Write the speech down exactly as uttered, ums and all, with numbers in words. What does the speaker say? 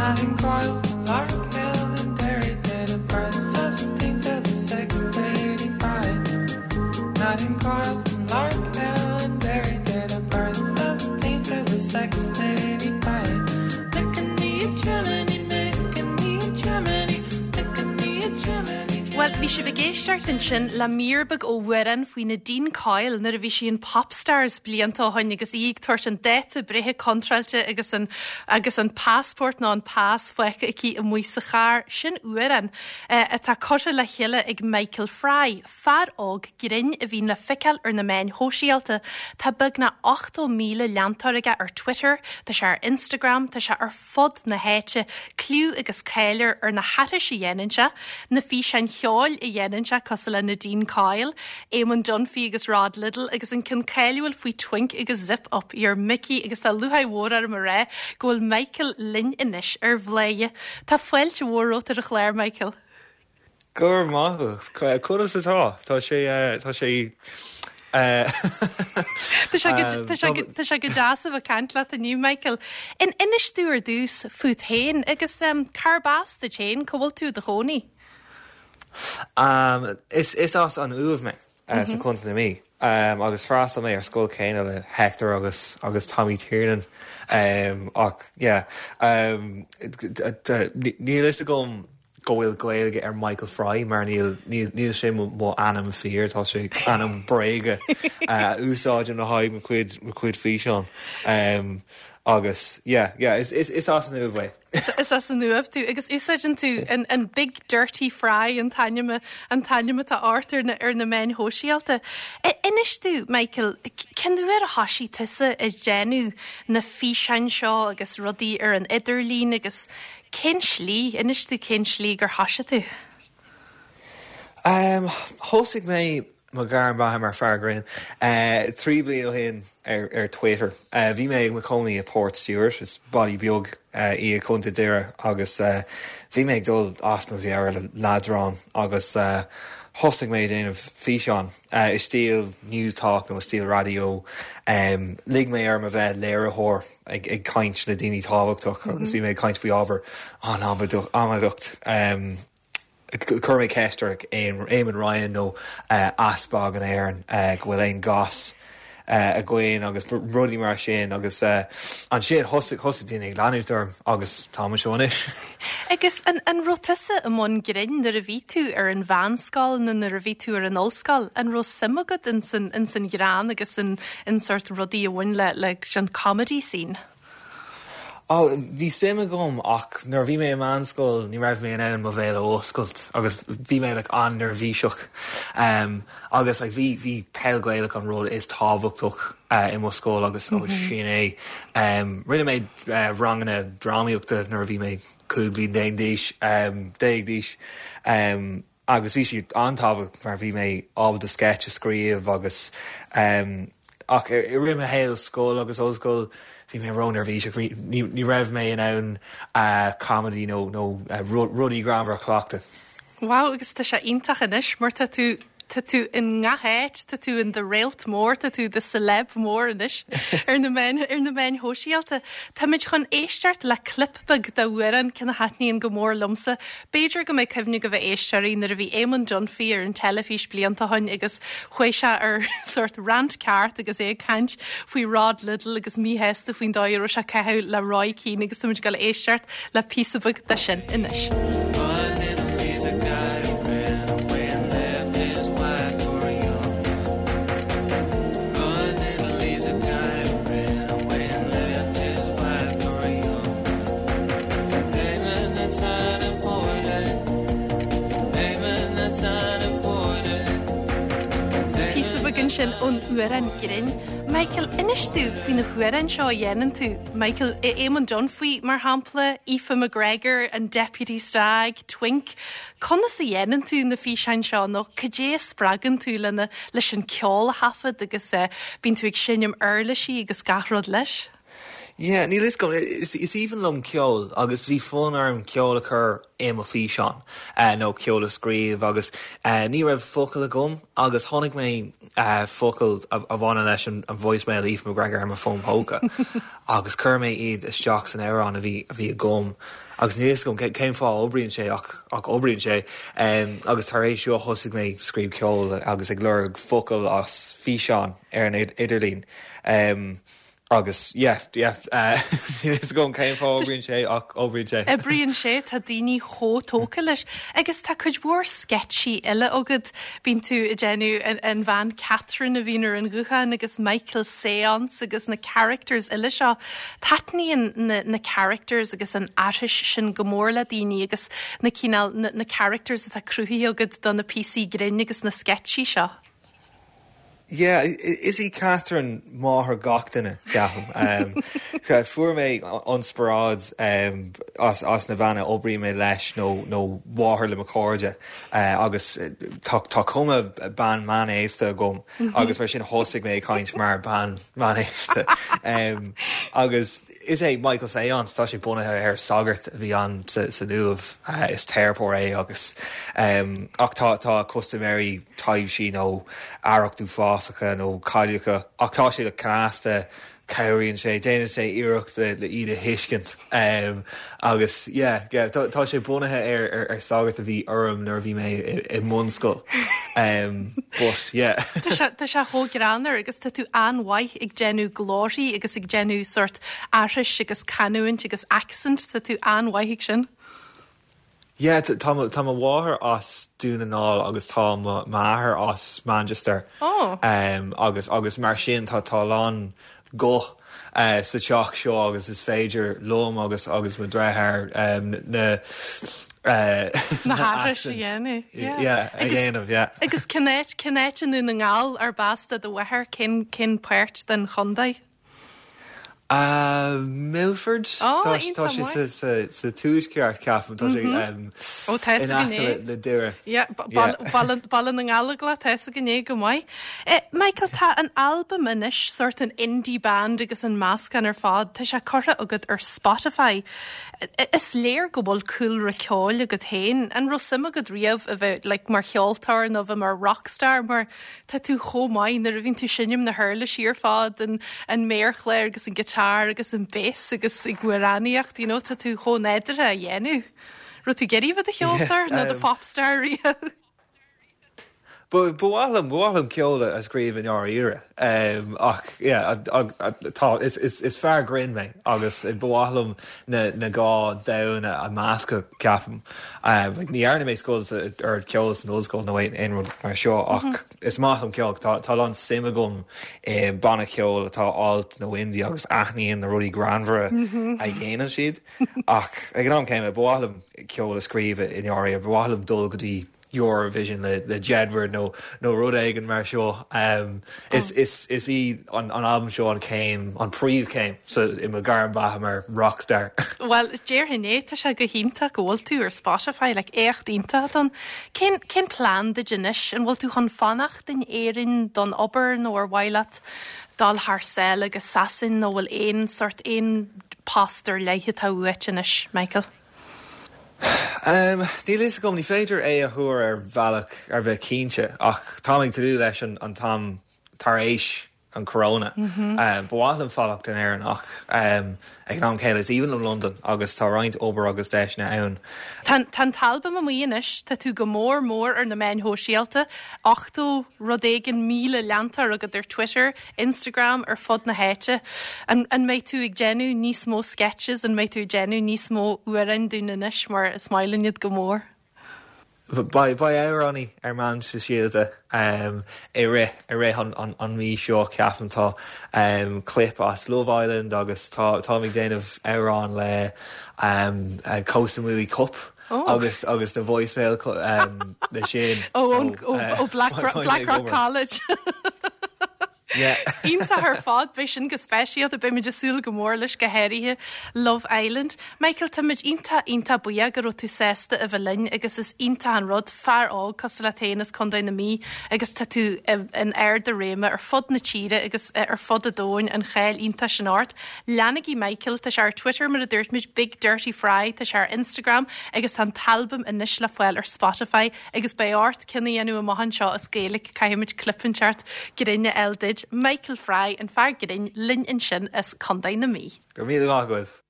Nadine Coyle from Lark Hill in Derry, date of birth fifteenth of the sixth, eighty-five. Nadine Coyle from Lark Hill in Derry, date of birth fifteenth of the sixth, eighty-five. Making me a chimney, making me a chimney, making me a chimney. Well, bhí sibh ag éisteacht ansin le mír beag ó amhrán faoi Nadine Coyle nuair a bhí sí in Popstars blianta ó shin agus í ag tabhairt an dáta breithe contráilte agus an agus an passport ná an pas fágtha aici amuigh sa charr sin amhrán eh, atá curtha le chéile ag Michael Fry, fear óg grinn a bhíonn le feiceáil ar na meáin shóisialta tá beagnach ochtó míle leantóir aige ar Twitter, Tá sé ar Instagram, tá sé ar fud na háite, clú agus cáil air ar na haithrisí a dhéanann sé, na físeáin cheoil a dhéanann sé cosúil le Nadine Coyle, Eamon Dunphy agus Rod Liddle agus an ceann cáiliúil faoi Twink agus Zip Up Your Mickey agus tá lúcháir mhór orm a rá go bhfuil Michael linn anois ar Bhladhaire. Tá fáilte mhór romhat ar an chlár Michael. Gur maith conas atá tá sé tá sé Tá sé go deas a bheith ag caint leat inniu Michael. In inis dúinn ar dtús fút féin agus um, cárb as duit féin cá bhfuil tú i do chónaí. Um, is is as an Uaimh mé uh, sa Chontae na Mí. Um, agus d'fhreastail mé ar scoil céanna le Hector agus agus Tommy Tiernan um, ach yeah, um, níl fhios agam go bhfuil Gaeilge ar Michael Fry mar níl níl sé mo ainm fíor tá sé ainm bréige uh, úsáidim le haghaidh mo chuid mo chuid físeán. Um, agus yeah, yeah, is, is, is as an Uaimh mé. Is as an Uaimh tú agus úsáideann tú an, an Big Dirty Fry an t-ainm an t-ainm atá ort ar na, ar na meáin shóisialta. Inis dúinn Michael, cén uair a thosaigh tusa ag déanamh na físeáin seo agus rudaí ar an idirlíon agus cén slí inis dúinn cén slí gur thosaigh tú? Um, Thosaigh mé mo ghairm beatha mar fear grinn uh, trí bliana ó shin ar, ar Twitter. Uh, bhí mé i mo chónaí i Portstewart is baile beag uh, i Contae Doire agus uh, bhí mé ag dul as mo mheabhair le leadrán agus uh, thosaigh mé déanamh físeán uh, i stíl Newstalk nó stíl radio um, lig mé ar ma bheith léiritheoir ag, ag caint le daoine tábhachtach mm -hmm. agus bhí mé caint faoi ábhar an amadach. Um, Chuir mé ceist ar Eamon Ryan nó uh, Easpag in Éirinn uh, go bhfuil aon gas uh, againn agus rudaí mar sin agus uh, ansin thosaigh thosaigh daoine ag leanúint orm agus tá seo anois. Agus an, an raibh tusa i mbun grinn nuair a bhí tú ar an mheánscoil nó nuair a bhí tú ar an ollscoil, an raibh suim agat in san, in san ghreann agus in, in sort rudaí a bhain le le an comedy scene. Oh, bhí suim agam ach nuair bhí mé i meánscoil ní raibh mé in ann mo bhéal a oscailt agus bhí mé like, an-neirbhíseach um, agus like, bhí bhí peil Ghaelach an rud is tábhachtach uh, i mo scoil agus mm -hmm. agus sin é. Um, Rinne mé uh, ranganna drámaíochta nuair a bhí mé cúig bliana déag d'aois um, déag d'aois. Um, agus bhí siad an-tábhachtach mar bhí mé ábalta sketch a scríobh agus um, ach i rith mo shaol scoil agus ollscoil bhí mé ró-neirbhíseach ní raibh mé in ann uh, comedy nó nó uh, rudaí greannmhara a chleachtadh. Wow, agus tá sé iontach anois mar tá tú tá tú i ngach áit, tá tú i do réalt mór, tá tú do celeb mór anois ar na meáin ar na meáin shóisialta. Táimid chun éisteacht le clip beag d'amhrán ceann a thaitníonn go mór liomsa. B'fhéidir go mbeidh cuimhne ag éisteoirí nuair a bhí Eamon Dunphy ar an teilifís blianta ó shin agus chuaigh sé ar sort rant ceart agus é ag caint faoi Rod Liddle agus míshásta faoin dóigh a raibh sé ag caitheamh le Roy Keane agus táimid ag éisteacht le píosa beag de sin anois. Rod Liddle is a guy who ran away and left his wife for a young one. Rod Liddle is a guy who ran away and left his wife for a young one. Payment that's unafforded. Payment that's unafforded. Píosa beag ansin ón amhrán grinn. Michael, inis dúinn faoi na hamhráin seo a dhéanann tú. Michael Eamon Dunphy mar shampla, Aoife McGregor an Deputy Stag, Twink. Conas a dhéanann tú na físeáin seo nó cad é a spreagann tú lena leis an ceol a thaifead agus uh, bíonn tú ag seinm uirlisí agus gach rud leis? Yeah, níl fhios agam is is aoibhinn liom ceol agus bhí fonn orm ceol a chur i mo físeán uh, nó ceol a scríobh agus uh, ní raibh focail agam agus tháinig mé uh, focail a, a bhaineann leis an, an voicemail Aoife McGregor ar mo fón póca agus chuir mé iad isteach san amhrán a bhí a bhí agam agus níl fhios agam cén fáth oibríonn sé ach ach oibríonn sé um, agus tar éis seo thosaigh mé scríobh ceol agus ag lorg focail as físeán ar an idirlíon. Um, agus yeah, yeah, uh, is go cén fáth oibríonn sé ach oibríonn sé. Oibríonn sé tá daoine chomh tógtha leis agus tá cuid mhór sceitsí eile agat bíonn tú ag déanamh an bhean Catherine a bhíonn ar an ghuthán agus Michael Seance agus na characters eile seo. Taitníonn na, na characters agus an aithris sin go mór le daoine agus na cineál na, na characters atá cruthaithe agat do na píosaí grinn agus na sceitsí seo. Yeah, is í Catherine máthair gach duine ceapaim. Um, fuair mé inspioráid um, as, as na bean a oibríonn mé leis nó nó máthair le mo chairde uh, agus tá tá cuma bean meánaosta agam mm -hmm. agus mar sin thosaigh mé caint mar bean meánaosta. um, agus is é Michael Seance tá sé bunaithe ar sagart a bhí ann sa, san Uaimh uh, is teiripeoir é agus um, ach tá tá custaiméirí taibhsí nó arracht uafásacha nó cailleacha ach tá sé le casta cabhraíonn sé déanann sé iarracht le le iad a thuiscint um, agus yeah, yeah, tá, tá sé bunaithe ar, ar, ar sagart a bhí orm nuair a bhí mé i, i mbunscoil. Um, but yeah. Tá sé chomh greannmhar agus tá tú an-mhaith ag déanamh glórthaí agus ag déanamh sort aithris agus canúint agus accent tá tú an-mhaith ag sin. Yeah, tá tá mo mháthair as Dún na nGall agus tá m'athair as Manchester. Oh. Um, agus agus mar sin tá tá lán guth uh, sa teach seo agus is féidir liom agus agus mo dheartháir um, na uh, Na haithris a dhéanamh. Yeah, a dhéanamh, yeah. Agus cén áit cén áit i nDún na nGall arb as do mháthair cén cén páirt den chontae. Uh, Milford Oh, tá iontach tá sé maith. sa sa sa tuaisceart ceapaim tá sé um, Ó tá in aice le le Doire. Yeah, Baile na nGallóglach tá gné go maith. Eh, Michael tá an album anois sort an indie band agus an meascán ar fad, Tá sé curtha agat ar Spotify. I- Is léir go bhfuil cúlra ceoil agat féin, an raibh suim agat riamh a bheith like, mar cheoltóir nó bheith mar rockstar mar tá tú chomh maith nuair a bhíonn tú seinm na huirlisí ar fad an, an méarchlár agus an guitar agus an bass agus ag amhránaíocht, you know, tá tú chomh nádúrtha a dhéanamh. Raibh tú ag iarraidh bheith i do cheoltóir nó do um, popstar riamh. Ba bham bham ceola a scríobh in áíre um, ach yeah, a- a- a- tá is, is, is fear grinn mé agus ba mhaith liom na, na dhá domhan a mheascadh ceapaim. Um, like, ní dhearna mé scoil ar ceol san ollscoil nó aon rud mar seo ach mm -hmm. is maith liom ceol tá tá an suim agam i banna ceol atá alt nó indie agus aithním na rudaí greannmhara mm -hmm. a dhéanann siad ach ag an am céanna ba mhaith liom ceol a scríobh in áirithe ba mhaith liom dul go dtí Eurovision le, le Jedward nó nó rud éigin mar seo um, is, is, is í an, an album seo an céim an príomhchéim so i mo ghairm beatha mar rockstar. Well déarfainn é tá sé go hiontach go bhfuil tú ar Spotify le éacht iontach don cén cén plean duit anois an bhfuil tú chun fanacht in Éirinn don obair nó ar mhaith leat dul thar sáile agus Sasain nó bhfuil aon sort aon post ar leith atá uait anois, Michael. Um, Níl fhios agam ní féidir é a thuar ar bhealach ar bheith cinnte ach tá ag tnúth leis an, an t-am tar éis an corona. Mm -hmm. um, Ba mhaith liom fanacht in Éirinn ach um, ag an am céanna is aoibhinn liom London agus tá roinnt obair agus deiseanna ann. Tá an t-albam amuigh anois tá tú go mór mór ar na meáin shóisialta, ochtó rud éigin míle leantóir agat ar Twitter, Instagram ar fud na háite. An, an mbeidh tú ag déanamh níos mó sketches an mbeidh tú ag déanamh níos mó amhráin dúinn anois mar is maith linn iad go mór. Beidh amhráin ar meáin shóisialta um, i rith i rith an, an, an mí seo ceapaim tá um, clip as Love Island agus tá tá ag déanamh amhrán le um, uh, Koh Samui Cup. Oh. agus agus na voicemail um, le sin Ó So, ó uh, ó Black, beidh Black ag Rock obair. College. Iontach ar fad beidh sin go speisialta beimid ag súil go mór leis go háirithe Love Island. Michael Táimid iontach iontach buíoch go raibh tú sásta a bheith linn agus is iontach an rud fear óg cosúil leat féin as Contae na Mí agus tá tú in ard a réime ar fud na tíre agus eh, ar fud an domhain an cháil iontach sin ort. Leanaigí Michael tá sé ar Twitter mar a dúirt muid Big Dirty Fry tá sé ar Instagram agus an t-albam anois le fáil ar Spotify agus beidh ort ceann a dhéanamh amach anseo as Gaeilge caithfimid clip inteacht grinn a fháil duit Michael Fry an fear grinn linn ansin as Contae na Mí. Go míle maith.